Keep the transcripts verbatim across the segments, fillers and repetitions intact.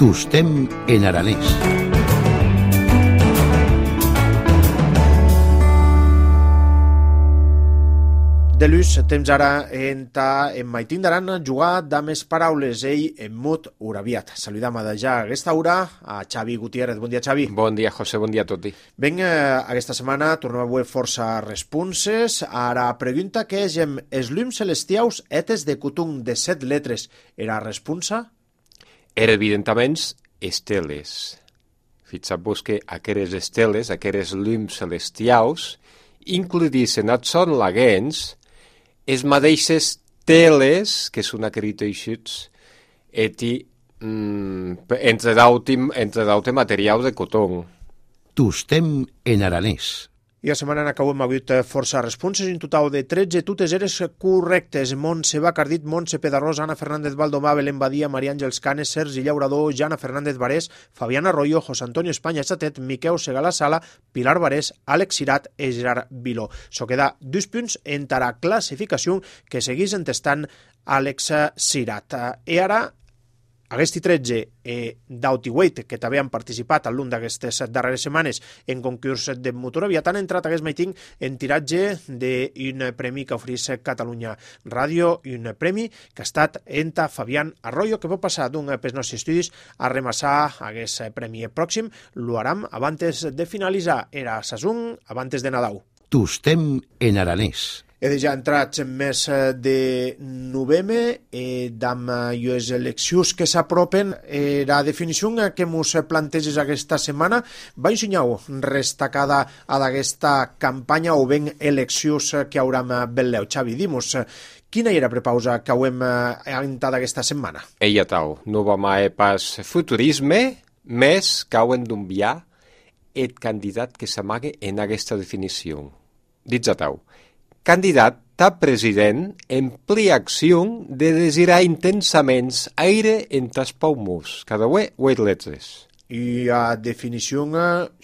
Tostem en aranès. De luz, temps ara en en maitín d'aran jugar dames paraules, ell en mut uraviat. Saludam a ja aquesta hora a Xavi Gutiérrez. Bon dia, Xavi. Bon dia, José, bon dia a tots. Ben, eh, aquesta setmana tornem a veure força responses. Ara pregunta que és en els llums celestiaus etes de cotun de set letres. Era responsa? Era, evidentment, esteles. Fixeu-vos que aquestes esteles, aquests llums celestiaus, incluïssin et són laguens, es mateixes teles que són acreditacions eti mm, entre d'auti entre d'auti materials de cotó. Tostem en aranès. I la setmana acabem hagut força responses, en total de tretze, totes eres correctes. Montse Bacardit, Montse Pedarrós, Ana Fernández Baldomà, Belén Badia, Maria Àngels Canes, Sergi Llaurador, Jana Fernández Barés, Fabián Arroyo, José Antonio España Chatet, Miqueu Segala Sala, Pilar Barés, Àlex Cirat i Gerard Viló. So queda dos punts en la classificació que seguís entestant Àlex Cirat. I ara Aquesti tretze eh, d'Autiweight, que també han participat al l'un d'aquestes darreres setmanes en concurs de motoraviat, han entrat aquest meiting en tiratge d'un premi que oferís Catalunya Ràdio, i un premi que ha estat enta Fabián Arroyo, que pot passar d'un pels nostres estudis a remassar aquest premi pròxim. Lo haram abans de finalitzar. Era Sasun, abans de Nadal. Tostem en aranès. He ja entrat en mes de novembre, eh, amb les eleccions que s'apropen. Eh, la definició que ens planteges aquesta setmana va ensenyar destacada a aquesta campanya o ben eleccions que hauram velleu. Xavi, dimos, quina era prepausa que ho hem entrat aquesta setmana? Eia tau, no va mai pas futurisme, més que hauen d'enviar el candidat que s'amague en aquesta definició. Dits a tau, candidat a president en pliacció de desirar intensament aire entre els pulmons, cada uè vuit letres. I a definició,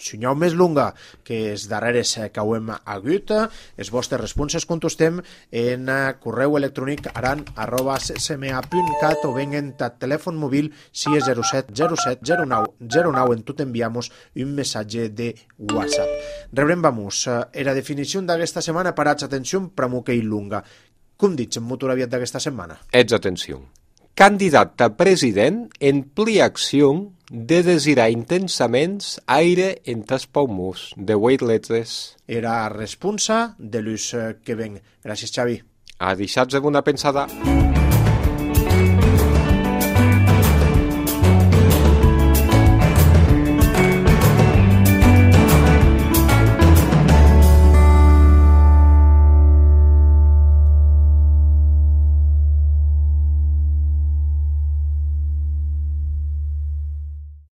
senyal més longa que els darreres que ho hem hagut, els vostres responses contestem en correu electrònic aran arroba csma punt cat o ben en telèfon mòbil si és zero set zero set zero nou zero nou en tot enviamos un missatge de WhatsApp. Rebrem, vamos, era definició d'aquesta setmana, parats, atenció, pramuque i lunga. Com dits en motor aviat d'aquesta setmana? Ets atenció. Candidat a president en pliacció de desirar intensament aire entre els pulmons, de vuit letres. Era responsa de l'ús que ven. Gràcies, Xavi. A deixar-vos una pensada.